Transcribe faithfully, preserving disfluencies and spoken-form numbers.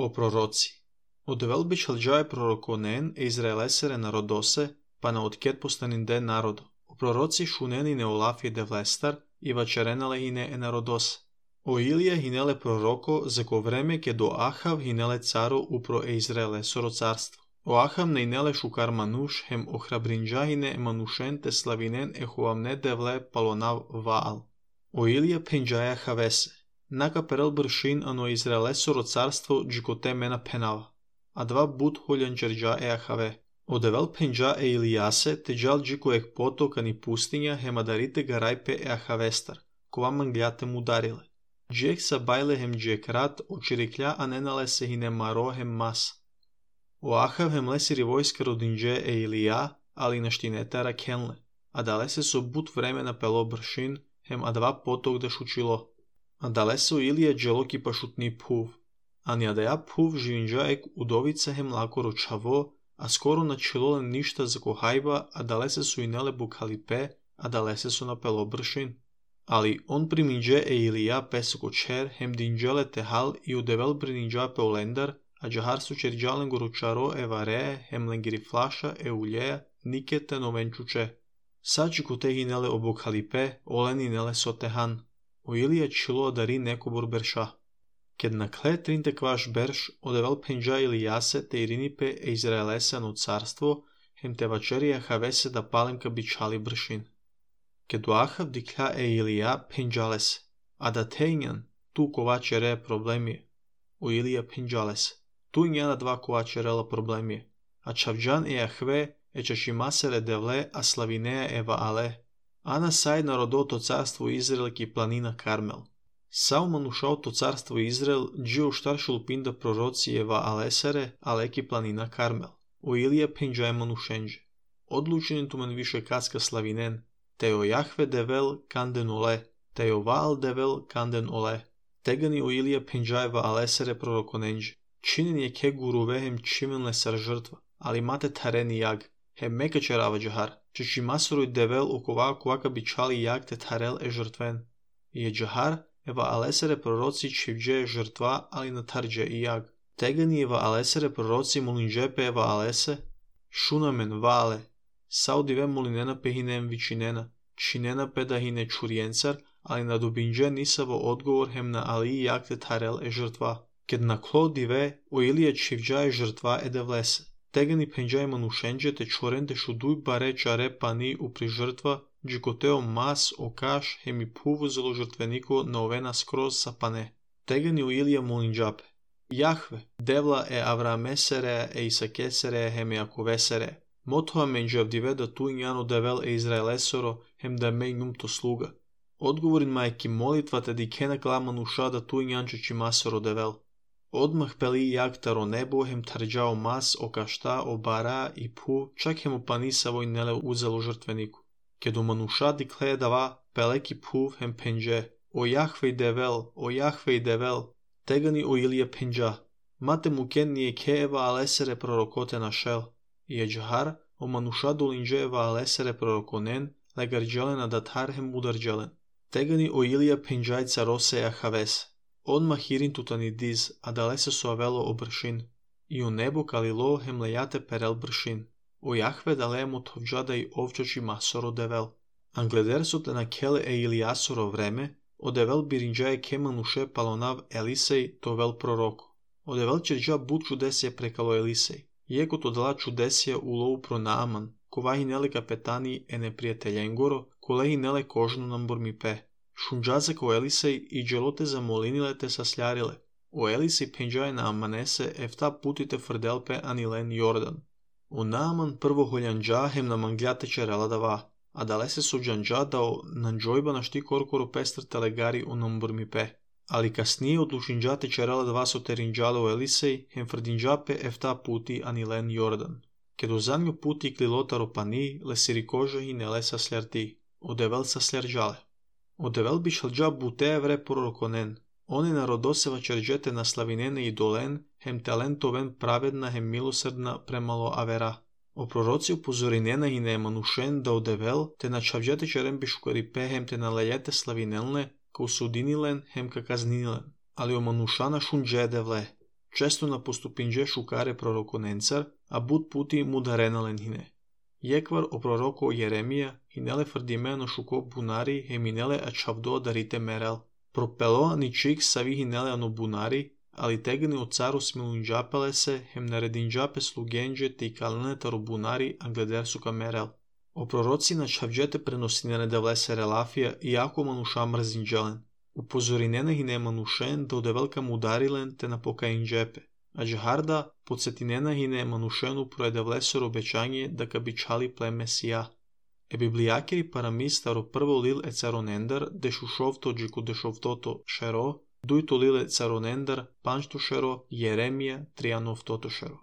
O proroci. Одевел бичалджае пророконен е израелесере народосе, па на откет постанинде народо. O proroci šuneni ne olaf je devlestar, i vačerenale hine e narodos. O Ilija hinele proroko, za ko vreme ke do Ahav hinele caro upro e Izraele soro carstvo. O Ahav ne inele šukar manuš, hem ohrabrinđa hine manušen te slavinen e huamne devle palonav Vaal. O Ilija penđaja havese. Naka perel bršin ano Izraele soro carstvo džikote mena penava. A dva but huljanđerđa e Ahave. Одевел пенджа е Илиясе, теджал джико ек потока ни пустиња, хемадарите гарајпе е Ахавестар, кова манглјате му дариле. Джек са бајле хем джекрат, очирикља аненале се хине маро хем мас. О Ахав хем лесири војска родинđе е Илија, али наштинетара кенле, а дале се со бут времена пело бршин, хем а два поток да шучило. А дале се о Илија джелоки пашутни пув. А нијадеја пув живинđа ек удовица хем лако рочаво, a skoro načelole ništa za kohajba, a dalese su inele bukalipe, a dalese su napelo bršin. Ali on priminđe e Ilija pesoko čer, hem dinđele tehal i udevel priminđa pe olendar, a džahar su čerđalen goručaro e vare, hem lengiri flaša e uljeja, nikete novenčuče. Sači ku te inele obukalipe, olen inele sotehan. O Ilija čilo dari neko borberša. Кед накле тринте кваш берш, одевел пенджа Илиясе те иринипе е Израелесе на царство, хем те вачерија хавесе да паленка бичали бршин. Кед Ахав дикля е Илија пенджалесе, а да тејњан, ту ковачере проблеми. О Илија пенджалесе, ту њана два ковачерела проблеми, а чавджан е Ахве, е чашимасере девле, а славинеја е Ваале. Ана сај народото царство Израел ки планина Кармел. Сао манушаото царство Израел джио штаршул пинда пророци ева алесере, алеки планина Кармел. О Илија пенджај манушенđe. Одлученето мен више каска славинен, тео Јахве девел канден оле, тео Ваал девел канден оле. Тегани о Илија пенджајва алесере пророконенđe. Чинен е ке гурове хем чимен лесар жртва, али мате тарени јаг, хем мека черава джахар, че чимасорој девел окова коака бичали јаг те тарел е жртвен. И е джахар, Ева алесере пророци чивđe жртва, али на тарđe и јаг. Тегани ева алесере пророци молинđe пе ева алесе, шунамен вале, саудиве молинена пе хинем вичинена, чинена пе да хине чуриенцар, али на дубинđe нисаво одговор хем на али и јаг те тарел е жртва. Кед на кло диве, о Илија чивđa е жртва е да влесе. Тегани пенđај манушенđe те чорен те шудуј баре чаре пани упри жртва, джикотео мас окаш хеми пувузело жртвенико на овена скроз сапане. Тегани у Илија молинđапе. Јахве, девла е Авраамесере е Исакесере хеми Аковесере. Мотоа менđавдиве да ту њано девел е Израелесоро хем да меј нумто слуга. Одговорин мајки молитвата ди кена кламануша да ту њанче чимасоро девел. Одмах пели јак таро небо хем тарđао мас окашта обара и пу, чак хем опанисаво и неле узело жртвенико. Кедо мануша дикле дава пелеки пув хем пенđe. О Јахве девел, о Јахве девел, тегани о Илија пенđа. Мате мукен није ке ева алесере пророкоте нашел. И е джахар, о мануша долинđe ева алесере пророконен, легарđелен адатар хем ударđелен. Тегани о Илија пенđај царосе Ахавес. Он махирин тутани диз, а далесе со авело о бршин. И о небо калило хем лејате перел бршин. O Јахве далемо товđада и овчачи масоро девел. Англедерсоте на келе е Илијасоро време, одевел биринđаје ке мануше палонав Елисеј товел пророко. Одевел черđа бут чудесија прекало Елисеј. Јекото дала чудесија улоу про Нааман, коваји неле капетани е непријателјенгоро, колеји неле кожно намбормипе. Шунđазе ко Елисеј и джелоте замолиниле те саслјариле. О Елисеј пенđаје на Аманесе ефта путите фрделпе анилен Јордан. O Нааман прво холјанđа хем на манглјате черела дава, а далесе со џанđа да о нанđојба на шти коркоро пестр телегари о намбрмипе. Али касније одлучинđате черела дава со теринđале о Елисеј хем фрдинđапе ефта пути анилен Јордан. Кедо занјо пути клилотаро пани, лесири кожа и неле саслјарти, одевел саслјарđале. Одевел бичалđа буте евре пророконен. Оне народосева черđете на славинене и долен, хем талентовен праведна, хем милосрдна премало авера. O proroci upozorinena i ne manушен да одевел, те на чавđете черен бишукарипе, хем те на лејете славинелне, ка усудинилен, хем ка казнинилен. Али о манушана шунđе девле. Često na postupinđe šukare prorokonencar, a bud puti mudarenalen hine. Jekvar o proroko Jeremija hinele fardimeno šuko bunari heminele a čavdo darite merel. Propelo ni čik savi hinele ano bunari, ali tegni o caru smilunđapele se hem naredinđape slugenđe te i kalene taro bunari angleder suka merel. O proroci na čavđete prenosinene devlese relafija i jako manuša mrzinđelen. Upozorinene hine manušen da ode velika mudarilen te na pokainđepe. A džaharda podsjetinena hine manušenu projede vlesor obećanje da ka bi čali ple Mesija. E biblijakiri paramis staro prvo lil e caronendar dešušovto džiku dešovtoto šero, dujto lil e caronendar pančto šero Jeremija trijanov toto šero.